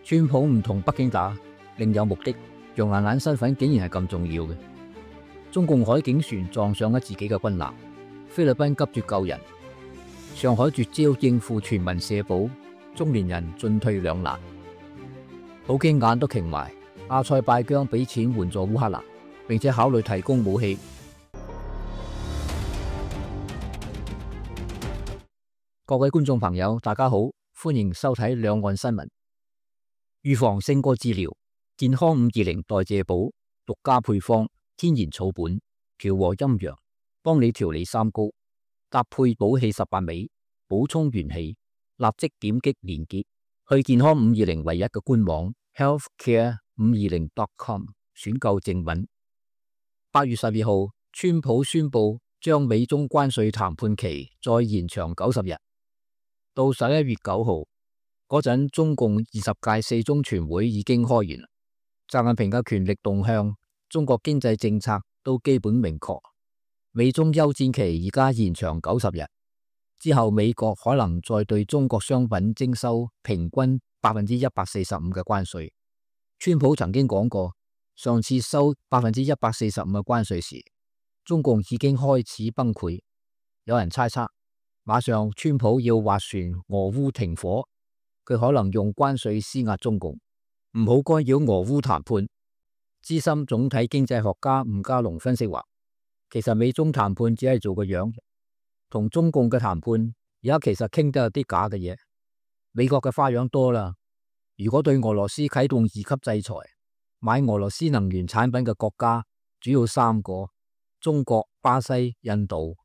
川普唔同北京打，另有目的。楊雁雁身份竟然係咁重要嘅。中共海警船撞上咗自己嘅軍艦，菲律賓急住救人，上海絕招應付全民社保，中年人進退兩難。普京眼都擎埋，阿塞拜疆俾錢援助烏克蘭，並且考慮提供武器。各位觀眾朋友，大家好，歡迎收睇兩岸新聞。預防勝過治療，健康520代謝寶獨家配方，天然草本，調和陰陽，幫你調理三高，搭配補氣18味，補充元氣。立即點擊連結去健康520唯一嘅官網 healthcare520.com 選購正品。8月12號，川普宣布將美中關稅談判期再延長90日，到11月9號嗰陣，中共20屆四中全會已經開完。習近平嘅權力動向、中國經濟政策都基本明確。美中休戰期而家延長90日，之後美國可能再對中國商品徵收平均145%嘅關稅。川普曾經講過，上次收145%嘅關稅時，中共已經開始崩潰。有人猜測，馬上川普要斡旋俄烏停火，佢可能用關稅施壓中共，唔好干擾俄烏談判。資深總體經濟學家吳家龍分析話，其實美中談判只係做個樣，同中共嘅談判而家其實傾得有啲假嘅嘢。美國嘅花樣多啦，如果對俄羅斯啟動2級制裁，買俄羅斯能源產品嘅國家主要3個：中國、巴西、印度。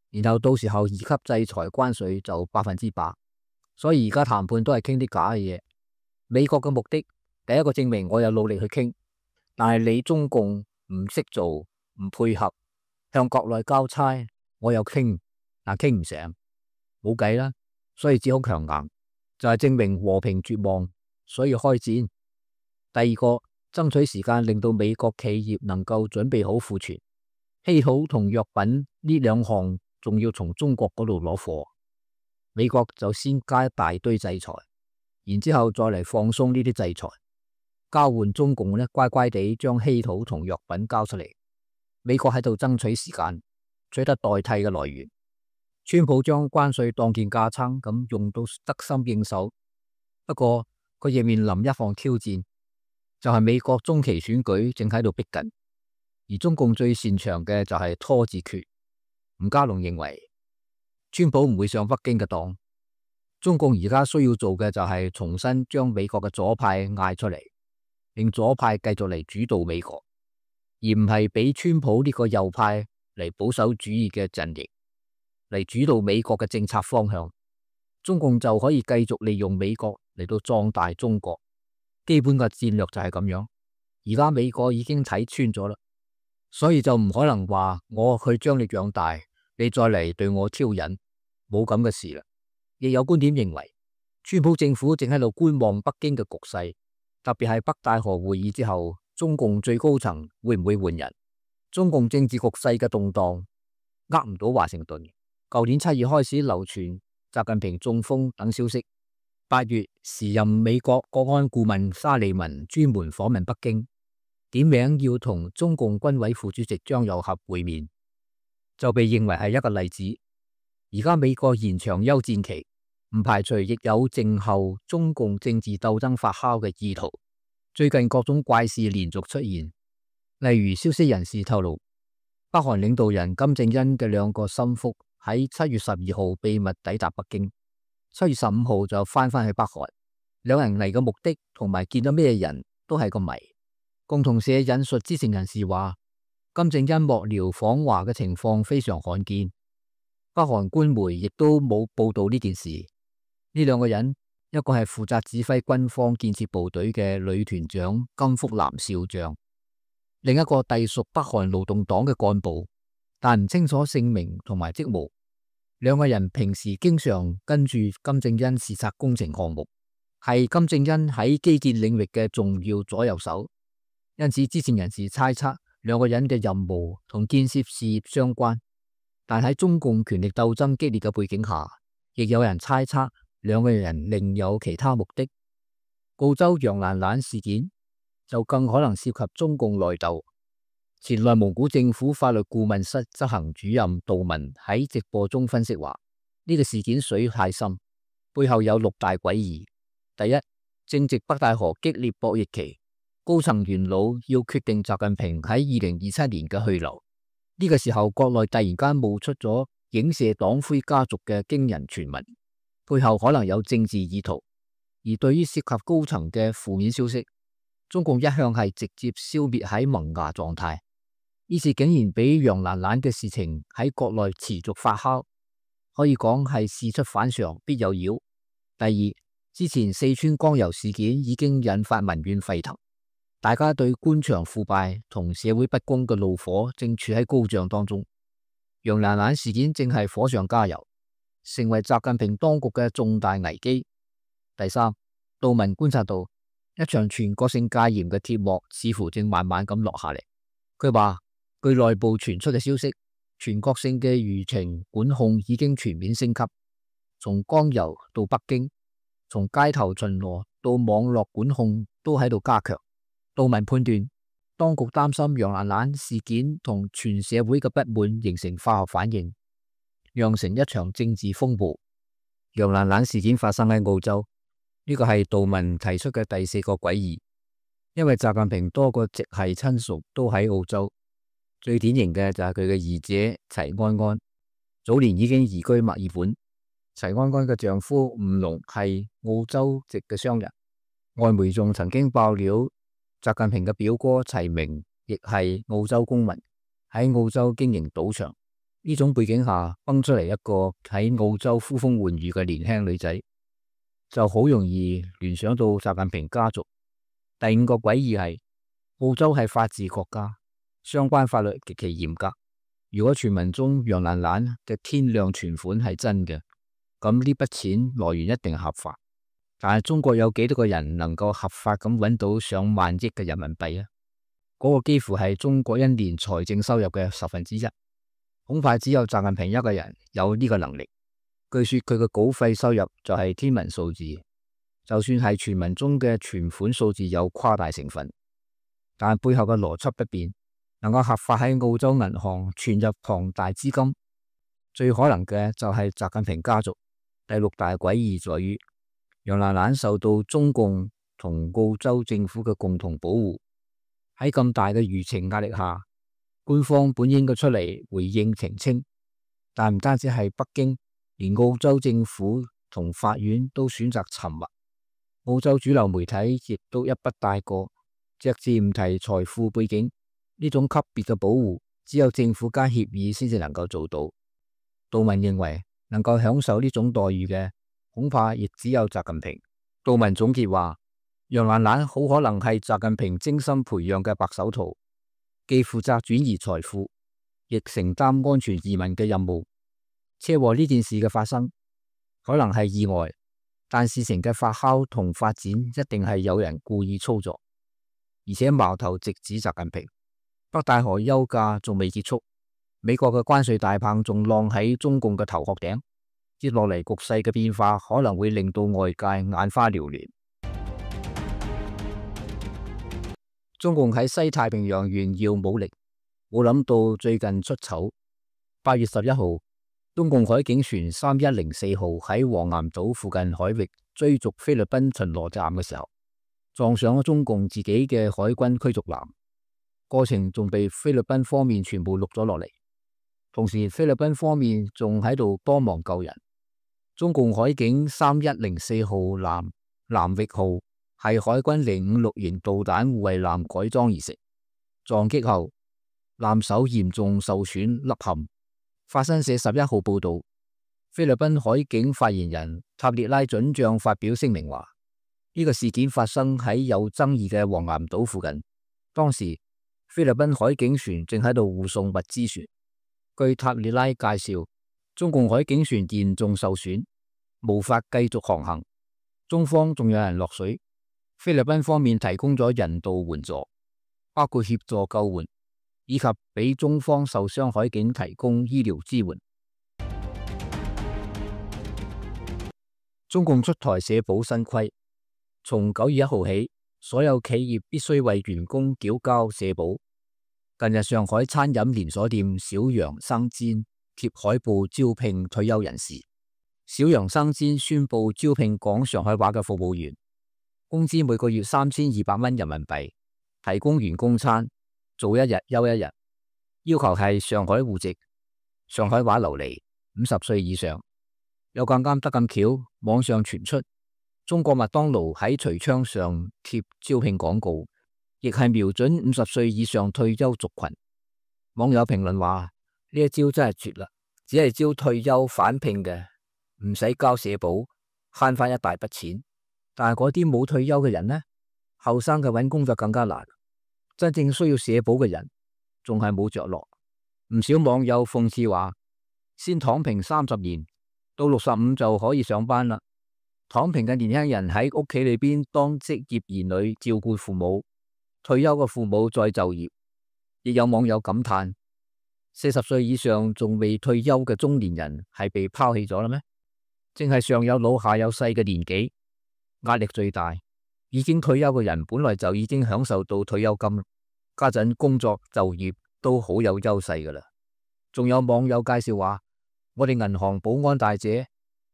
然後到時候2級制裁關稅就100%，所以而家談判都係傾啲假嘅嘢。美國嘅目的，第一個證明我有努力去傾，但係你中共唔識做，唔配合，向國內交差，我又傾，但傾唔成，冇計啦，所以只好強硬，就係證明和平絕望，所以開戰。第二個，爭取時間，令到美國企業能夠準備好庫存，稀土同藥品呢2項。仲要從中國嗰度攞貨，美國就先加一大堆制裁，然之後再嚟放鬆呢啲制裁，交換中共呢乖乖地將稀土同藥品交出嚟。美國喺度爭取時間，取得代替嘅來源。川普將關稅當件架撐咁用到得心應手，不過佢亦面臨一項挑戰，就係美國中期選舉正喺度逼近，而中共最擅長嘅就係拖字訣。吳家龍認為，川普唔會上北京嘅當，中共而家需要做嘅就係重新將美國嘅左派嗌出嚟，令左派繼續嚟主導美國，而唔係俾川普呢個右派嚟保守主義嘅陣營嚟主導美國嘅政策方向。中共就可以繼續利用美國嚟到壯大中國，基本嘅戰略就係咁樣。而家美國已經睇穿咗啦。所以就唔可能話我去將你養大，你再嚟對我挑釁，冇咁嘅事啦。亦有觀點認為，川普政府正喺度觀望北京嘅局勢，特別係北戴河會議之後，中共最高層會唔會換人？中共政治局勢嘅動盪，唔到華盛頓。舊年7月開始流傳習近平中風等消息，8月時任美國國安顧問沙利文專門訪問北京，點名要同中共軍委副主席張又俠會面，就被認為係一個例子。而家美國延長休戰期，唔排除亦有靜候中共政治鬥爭發酵嘅意圖。最近各種怪事連續出現，例如消息人士透露，北韓領導人金正恩嘅2個心腹喺7月12號秘密抵達北京，7月15號就翻返去北韓。兩人嚟嘅目的同埋見到咩人都係個謎。共同社引述知情人士話，金正恩幕僚訪華嘅情況非常罕見，北韓官媒亦都冇報道呢件事。呢2個人，一個係負責指揮軍方建設部隊嘅女團長金福南少將，另一個隸屬北韓勞動黨嘅幹部，但唔清楚姓名同埋職務。2個人平時經常跟住金正恩視察工程項目，係金正恩喺基建領域嘅重要左右手。因此，知情人士猜測2個人嘅任務同建設事業相關，但喺中共權力鬥爭激烈嘅背景下，亦有人猜測2個人另有其他目的。澳洲楊蘭蘭事件就更可能涉及中共內鬥。前內蒙古政府法律顧問室執行主任杜文喺直播中分析話，呢個事件水太深，背後有6大詭異。第一，正值北戴河激烈博弈期，高層元老要決定習近平喺2027年嘅去留。呢個時候，國內突然間冒出咗影射黨魁家族嘅驚人傳聞，背後可能有政治意圖。而對於涉及高層嘅負面消息，中共一向係直接消滅喺萌芽狀態。呢次竟然俾楊蘭蘭嘅事情喺國內持續發酵，可以講係事出反常必有妖。第二，之前四川江油事件已經引發民怨沸騰，大家對官場腐敗同社會不公嘅怒火正處喺高漲當中。楊蘭蘭事件正係火上加油，成為習近平當局嘅重大危機。第三，杜文觀察到一場全國性戒嚴嘅鐵幕似乎正慢慢咁落下嚟。佢話，據內部傳出嘅消息，全國性嘅輿情管控已經全面升級，從江油到北京，從街頭巡邏到網絡管控都喺度加強。杜文判斷，當局擔心楊蘭蘭事件同全社會嘅不滿形成化學反應，釀成一場政治風暴。楊蘭蘭事件發生喺澳洲，呢個係杜文提出嘅第4個詭異，因為習近平多個直系親屬都喺澳洲。最典型嘅就係佢嘅二姐齊安安，早年已經移居墨爾本。齊安安嘅丈夫吳龍係澳洲籍嘅商人，外媒仲曾經爆料，習近平嘅表哥齊明亦係澳洲公民，喺澳洲經營賭場。呢種背景下崩出嚟一個喺澳洲呼風喚雨嘅年輕女仔，就好容易聯想到習近平家族。第5個詭異係澳洲係法治國家，相關法律極其嚴格。如果傳聞中楊蘭蘭嘅天量存款係真嘅，咁呢筆錢來源一定合法。但係中國有幾多個人能夠合法咁揾到上萬億嘅人民幣啊？嗰個幾乎係中國一年財政收入嘅1/10，恐怕只有習近平一個人有呢個能力。據說佢嘅稿費收入就係天文數字，就算係傳聞中嘅存款數字有誇大成分，但背後嘅邏輯不變。能夠合法喺澳洲銀行存入龐大資金，最可能嘅就係習近平家族。第6大詭異在於楊蘭蘭受到中共同澳洲政府嘅共同保護，喺咁大嘅輿情壓力下，官方本應該出嚟回應澄清，但唔單止係北京，連澳洲政府同法院都選擇沉默。澳洲主流媒體亦都一筆帶過，隻字唔提財富背景。呢種級別嘅保護，只有政府間協議先至能夠做到。杜文認為，能夠享受呢種待遇嘅，恐怕亦只有習近平。杜文總結話，楊蘭蘭好可能係習近平精心培養嘅白手套，既負責轉移財富，亦承擔安全移民嘅任務。車禍呢件事嘅發生，可能係意外，但事情嘅發酵同發展一定係有人故意操作，而且矛頭直指習近平。北戴河休假仲未結束，美國嘅關稅大棒仲晾喺中共嘅頭殼頂，接落嚟局勢嘅變化可能會令到外界眼花繚亂。中共喺西太平洋炫耀武力，冇諗到最近出醜。8月11號，中共海警船3104號喺黃岩島附近海域追逐菲律賓巡邏艦嘅時候，撞上咗中共自己嘅海軍驅逐艦。過程仲被菲律賓方面全部錄咗落嚟，同時菲律賓方面仲喺度幫忙救人。中共海警3104號艦南域號係海軍056型導彈護衛艦改裝而成，撞擊後艦首嚴重受損凹陷。法新社11號報道，菲律賓海警發言人塔列拉准將發表聲明話，呢個事件發生喺有爭議嘅黃岩島附近，當時菲律賓海警船正喺度護送物資船。據塔列拉介紹，中共海警船嚴重受損，無法繼續航行。中方仲有人落水，菲律賓方面提供咗人道援助，包括協助救援，以及俾中方受傷海警提供醫療支援。中共出台社保新規，從9月1號起，所有企業必須為員工繳交社保。近日上海餐飲連鎖店小楊生煎貼海報招聘退休人士。小楊生煎宣布招聘講上海話嘅服務員，工資每個月3200蚊人民幣，提供員工餐，做1日休1日，要求係上海戶籍，上海話流利，50歲以上。有咁啱得咁巧，網上傳出中國麥當勞喺櫥窗上貼招聘廣告，亦係瞄準50歲以上退休族群。網友評論話：呢一招真係絕啦，只係招退休返聘嘅，唔使交社保，慳翻一大筆錢。但係嗰啲冇退休嘅人呢？後生嘅揾工就更加難，真正需要社保嘅人仲係冇着落。唔少網友諷刺話：先躺平30年，到65就可以上班啦。躺平嘅年輕人喺屋企裏邊當職業兒女，照顧父母，退休嘅父母再就業。亦有網友感嘆：40歲以上仲未退休嘅中年人係被拋棄咗啦咩？正係上有老下有細嘅年紀，壓力最大。已經退休嘅人本來就已經享受到退休金，家陣工作就業都好有優勢噶啦。仲有網友介紹話：我哋銀行保安大姐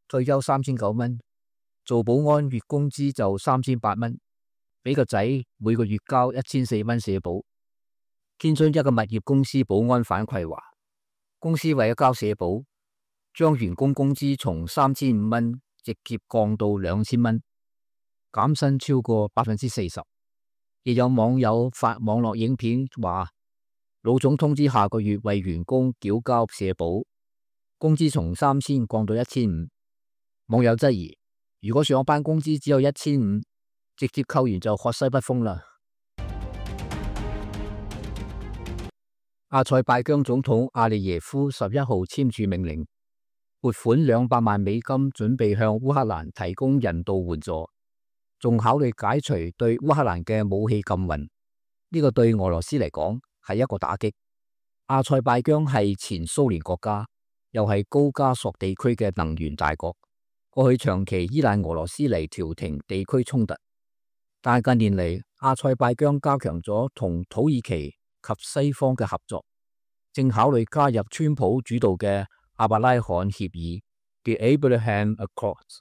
退休3900蚊，做保安月工資就3800蚊，俾個仔每個月交1400蚊社保。天津一個物業公司保安反饋話，公司為咗交社保，將員工工資從3500蚊直接降到2000蚊，減薪超過40%。亦有網友發網絡影片話，老總通知下個月為員工繳交社保，工資從3000降到1500。網友質疑，如果上班工資只有1500，直接扣完就喝西北風啦。阿塞拜疆總統阿利耶夫11號簽署命令，撥款200萬美金，準備向烏克蘭提供人道援助，仲考慮解除對烏克蘭嘅武器禁運。呢個對俄羅斯嚟講係一個打擊。阿塞拜疆係前蘇聯國家，又係高加索地區嘅能源大國，過去長期依賴俄羅斯嚟調停地區衝突。但係近年嚟，阿塞拜疆加強咗同土耳其及西方嘅合作，正考慮加入川普主導嘅阿伯拉罕協議 The Abraham Accords。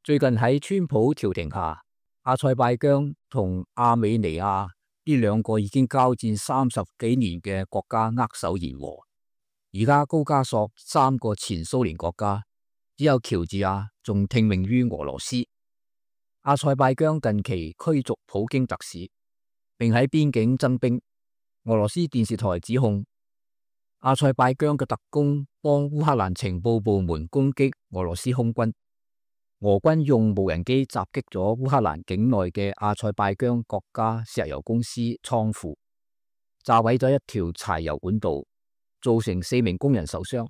最近喺川普調停下，阿塞拜疆同亞美尼亞呢兩個已經交戰30幾年嘅國家握手言和。而家高加索3個前蘇聯國家，只有喬治亞仲聽命於俄羅斯。阿塞拜疆近期驅逐普京特使，並喺邊境增兵。俄羅斯電視台指控阿塞拜疆嘅特工幫烏克蘭情報部門攻擊俄羅斯空軍，俄軍用無人機襲擊咗烏克蘭境內嘅阿塞拜疆國家石油公司倉庫，炸毀咗一條柴油管道，造成4名工人受傷。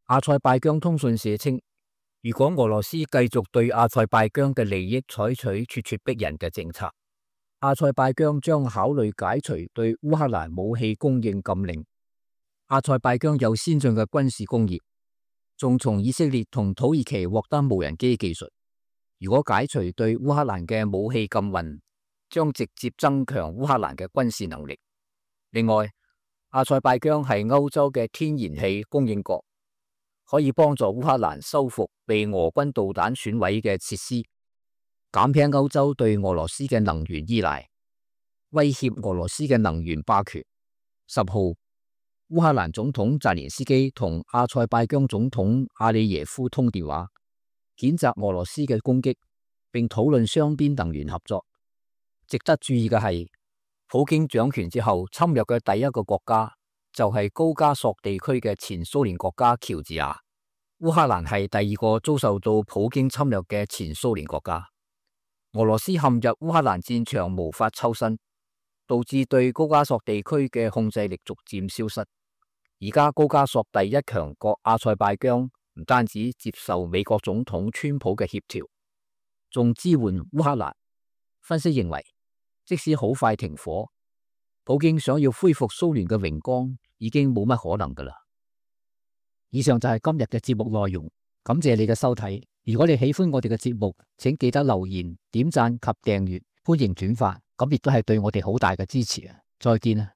阿塞拜疆通訊社稱，如果俄羅斯繼續對阿塞拜疆嘅利益採取咄咄逼人嘅政策，阿塞拜疆將考慮解除對烏克蘭武器供應禁令。阿塞拜疆有先進嘅軍事工業，仲從以色列同土耳其獲得無人機技術。如果解除對烏克蘭嘅武器禁運，將直接增強烏克蘭嘅軍事能力。另外，阿塞拜疆係歐洲嘅天然氣供應國，可以幫助烏克蘭修復被俄軍導彈損毀嘅設施，減輕歐洲對俄羅斯嘅能源依賴，威脅俄羅斯嘅能源霸權。10號，烏克蘭總統澤連斯基同阿塞拜疆總統阿里耶夫通電話，譴責俄羅斯嘅攻擊，並討論雙邊能源合作。值得注意嘅係，普京掌權之後侵略嘅第一個國家就係高加索地區嘅前蘇聯國家喬治亞。烏克蘭係第二個遭受到普京侵略嘅前蘇聯國家。俄羅斯陷入烏克蘭戰場無法抽身，導致對高加索地區嘅控制力逐漸消失。而家高加索第一強國阿塞拜疆唔單止接受美國總統川普嘅協調，仲支援烏克蘭。分析認為，即使好快停火，普京想要恢復蘇聯嘅榮光已經冇乜可能噶啦。以上就係今日嘅節目內容，感謝你嘅收睇。如果你喜歡我哋嘅節目，請記得留言、點讚及訂閱，歡迎轉發，咁亦都係對我哋好大嘅支持啊！再見啊！